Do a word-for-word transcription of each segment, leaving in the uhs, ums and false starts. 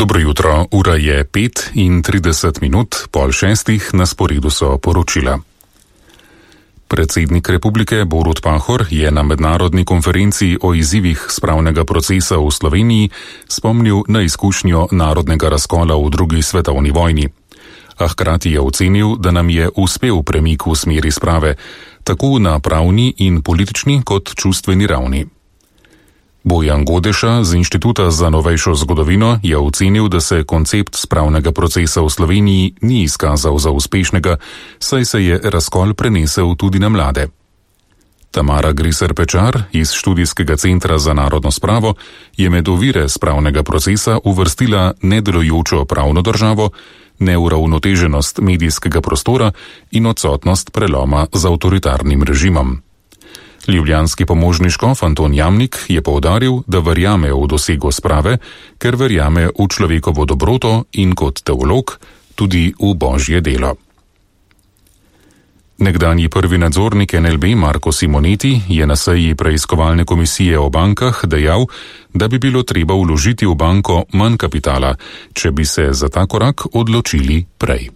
Dobro jutro, ura je pet in trideset minut, pol šestih, na sporedu so poročila. Predsednik republike Borut Pahor je na mednarodni konferenci o izzivih spravnega procesa v Sloveniji spomnil na izkušnjo narodnega razkola v drugi svetovni vojni. A hkrati je ocenil, da nam je uspel premik v smeri sprave, tako na pravni in politični kot čustveni ravni. Bojan Godeša z Inštituta za novejšo zgodovino je ocenil, da se koncept spravnega procesa v Sloveniji ni izkazal za uspešnega, saj se je razkol prenesel tudi na mlade. Tamara Griser-Pečar iz Študijskega centra za narodno spravo je med ovire spravnega procesa uvrstila nedelujočo pravno državo, neuravnoteženost medijskega prostora in odsotnost preloma z avtoritarnim režimom. Ljubljanski pomožni škof Anton Jamnik je poudaril, da verjame v dosego sprave, ker verjame v človekovo dobroto in kot teolog tudi v božje delo. Nekdanji prvi nadzornik en el be Marko Simoneti je na seji preiskovalne komisije o bankah dejal, da bi bilo treba vložiti v banko manj kapitala, če bi se za ta korak odločili prej.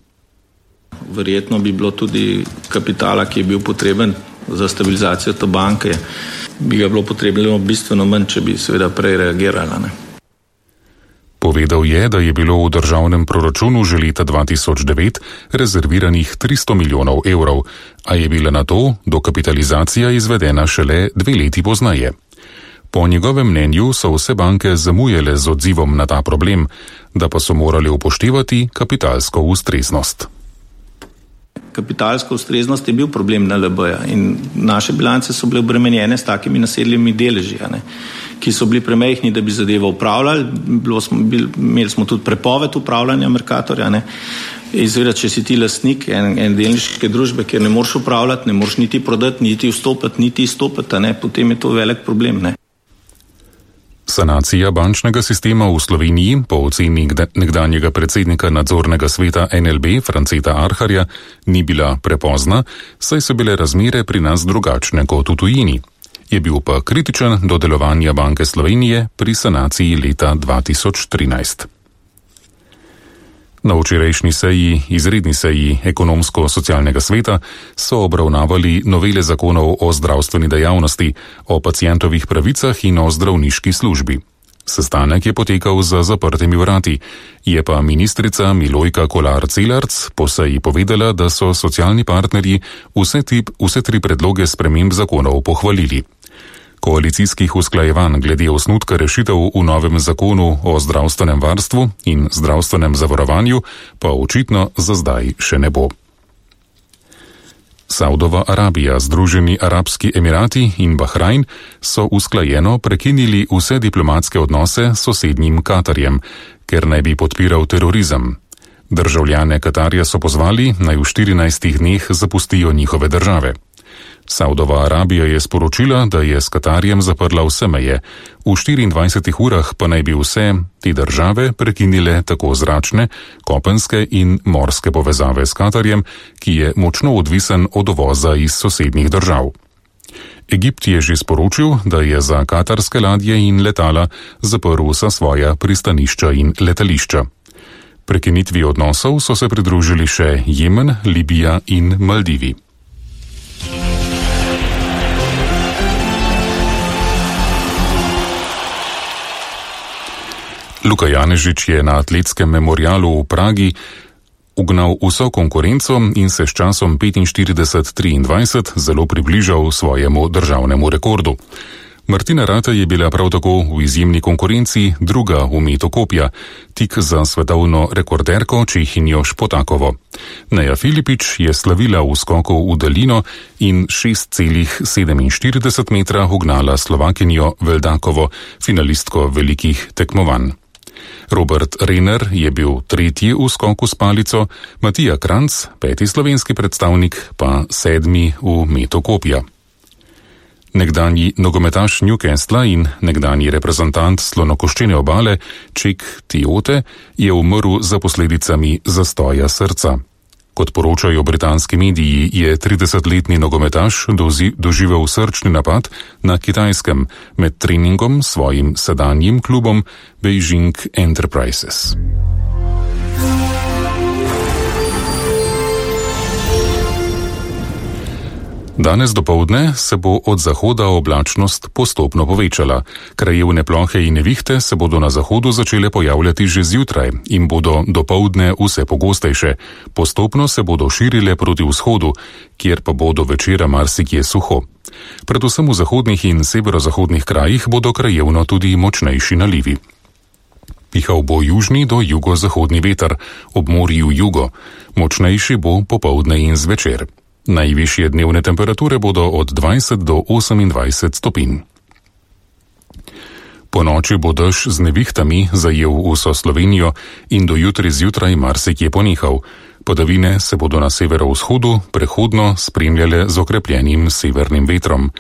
Verjetno bi bilo tudi kapitala, ki je bil potreben za stabilizacijo te banke, bi ga bilo potrebno bistveno manj, če bi seveda prej reagirala. Ne? Povedal je, da je bilo v državnem proračunu že leta dva tisoč devet rezerviranih tristo milijonov evrov, a je bila na to dokapitalizacija izvedena šele dve leti poznaje. Po njegovem mnenju so vse banke zamujale z odzivom na ta problem, da pa so morali upoštevati kapitalsko ustreznost. Kapitalska ustreznost je bil problem en el beja in naše bilance so bile obremenjene s takimi nasedljivimi deleži, ne, ki so bili premehni, da bi zadevo upravljali. Bilo smo, bil, imeli smo tudi prepoved upravljanja Mercatorja. Ne. Izveda, če si ti lastnik en, en delniške družbe, kjer ne moreš upravljati, ne moreš niti prodati, niti vstopati, niti izstopati, ne, potem je to velik problem. Ne. Sanacija bančnega sistema v Sloveniji po oceni nekdanjega predsednika nadzornega sveta en el be Franceta Arharja ni bila prepozna, saj so bile razmere pri nas drugačne kot v tujini. Je bil pa kritičen do delovanja Banke Slovenije pri sanaciji leta dva tisoč trinajst. Na včerajšnji seji, izredni seji ekonomsko-socialnega sveta so obravnavali novele zakonov o zdravstveni dejavnosti, o pacientovih pravicah in o zdravniški službi. Sestanek je potekal za zaprtimi vrati, je pa ministrica Milojka Kolar Celarc po seji povedala, da so socialni partnerji vse, tip, vse tri predloge sprememb zakonov pohvalili. Koalicijskih usklajevanj glede osnutka rešitev v novem zakonu o zdravstvenem varstvu in zdravstvenem zavarovanju pa očitno za zdaj še ne bo. Saudova Arabija, Združeni arabski emirati in Bahrajn so usklajeno prekinili vse diplomatske odnose s sosednjim Katarjem, ker naj bi podpiral terorizem. Državljane Katarja so pozvali, naj v štirinajstih dneh zapustijo njihove države. Saudova Arabija je sporočila, da je s Katarjem zaprla vse meje, v štiriindvajsetih urah pa naj bi vse te države prekinile tako zračne, kopenske in morske povezave s Katarjem, ki je močno odvisen od uvoza iz sosednjih držav. Egipt je že sporočil, da je za katarske ladje in letala zaprl vsa svoja pristanišča in letališča. Prekinitvi odnosov so se pridružili še Jemen, Libija in Maldivi. Luka Janežič je na atletskem memorialu v Pragi ugnal vso konkurenco in se s časom petinštirideset triindvajset zelo približal svojemu državnemu rekordu. Martina Ratej je bila prav tako v izjemni konkurenci druga v metu kopja, tik za svetovno rekorderko Čehinjo Špotakovo. Neja Filipič je slavila v skoku v daljino in šest celih sedeminštirideset metra ugnala Slovakinjo Veldakovo, finalistko velikih tekmovanj. Robert Renner je bil tretji v skoku s palico, Matija Kranc, peti slovenski predstavnik, pa sedmi v metu kopja. Nekdanji nogometaš Newcastla in nekdanji reprezentant slonokoščene obale Ček Tiote je umrl za posledicami zastoja srca. Kot poročajo britanski mediji, je tridesetletni nogometaš dozi, doživel srčni napad na Kitajskem med treningom s svojim sedanjim klubom Beijing Enterprises. Danes dopoldne se bo od zahoda oblačnost postopno povečala. Krajevne plohe in nevihte se bodo na zahodu začele pojavljati že zjutraj in bodo dopoldne vse pogostejše. Postopno se bodo širile proti vzhodu, kjer pa bo do večera marsikje suho. Predvsem v zahodnih in severozahodnih krajih bodo krajevno tudi močnejši nalivi. Pihal bo južni do jugozahodni veter, ob morju jugo. Močnejši bo popoldne in zvečer. Najvišje dnevne temperature bodo od dvajset do osemindvajset stopinj. Po noči bo dež z nevihtami zajel vso Slovenijo in do jutri zjutraj marsikje ponehal. Padavine se bodo na severovzhodu prehodno spremljale z okrepljenim severnim vetrom.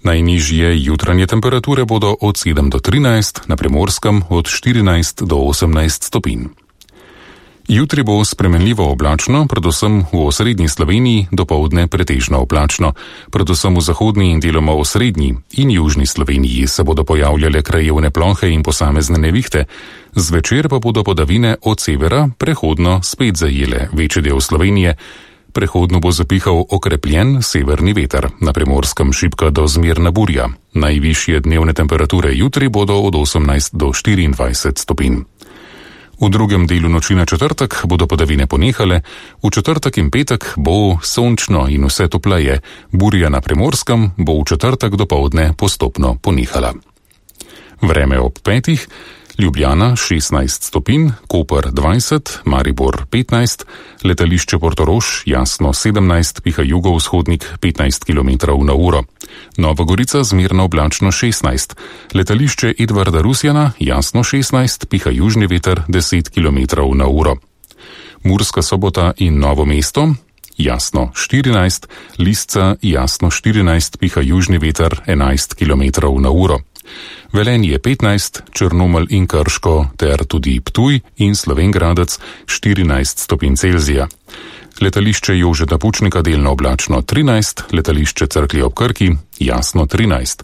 Najnižje jutranje temperature bodo od sedem do trinajst, na Primorskem od štirinajst do osemnajst stopinj. Jutri bo spremenljivo oblačno, predvsem v osrednji Sloveniji, dopoldne pretežno oblačno. Predvsem v zahodni in deloma osrednji in južni Sloveniji se bodo pojavljale krajevne plohe in posamezne nevihte. Zvečer pa bodo padavine od severa prehodno spet zajele večji del Slovenije. Prehodno bo zapihal okrepljen severni veter, na Primorskem šibka do zmerna burja. Najvišje dnevne temperature jutri bodo od osemnajst do štiriindvajset stopinj. V drugem delu noči na četrtek bodo padavine ponehale, v četrtek in petek bo sončno in vse topleje, burja na Primorskem bo v četrtek dopoldne postopno ponehala. Vreme ob petih, Ljubljana šestnajst stopinj, Koper dvajset, Maribor petnajst, letališče Portorož jasno sedemnajst, piha jugovzhodnik petnajst kilometrov na uro. Nova Gorica zmerno oblačno šestnajst, letališče Edvarda Rusjana jasno šestnajst, piha južni veter deset kilometrov na uro. Murska Sobota in Novo mesto jasno štirinajst, Lisca jasno štirinajst, piha južni veter enajst kilometrov na uro. Velenje petnajst, Črnomelj in Krško ter tudi Ptuj in Slovenj Gradec štirinajst stopinj Celzija. Letališče Jožeta Pučnika delno oblačno trinajst, letališče Cerklje ob Krki jasno trinajst.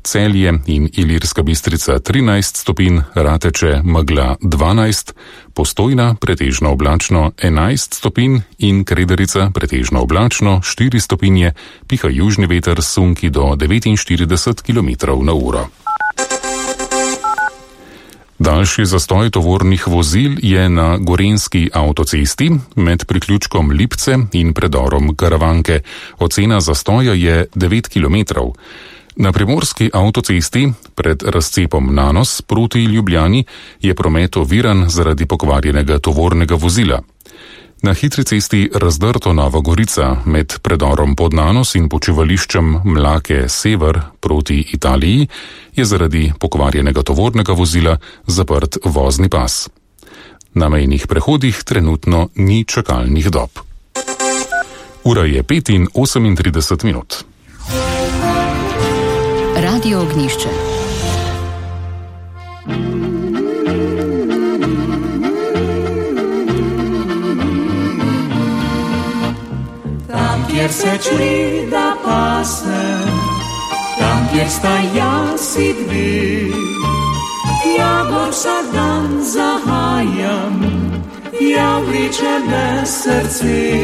Celje in Ilirska Bistrica trinajst stopinj, Rateče megla dvanajst, Postojna pretežno oblačno enajst stopinj in Krederica pretežno oblačno štiri stopinje, piha južni veter sunki do devetinštirideset kilometrov na uro. Daljši zastoj tovornih vozil je na Gorenjski avtocesti med priključkom Lipce in predorom Karavanke. Ocena zastoja je devet kilometrov. Na Primorski avtocesti pred razcepom Nanos proti Ljubljani je promet oviran zaradi pokvarjenega tovornega vozila. Na hitri cesti Razdrto Nova Gorica med predorom pod Nanos in počivališčem Mlake Sever proti Italiji je zaradi pokvarjenega tovornega vozila zaprt vozni pas. Na mejnih prehodih trenutno ni čakalnih dob. Ura je pet in osemintrideset minut. Radio Ognjišče. Tam, kjer se čli da pase, tam, kjer sta jaz in dve, ja gor vsak dan zahajam, ja vleče me srce.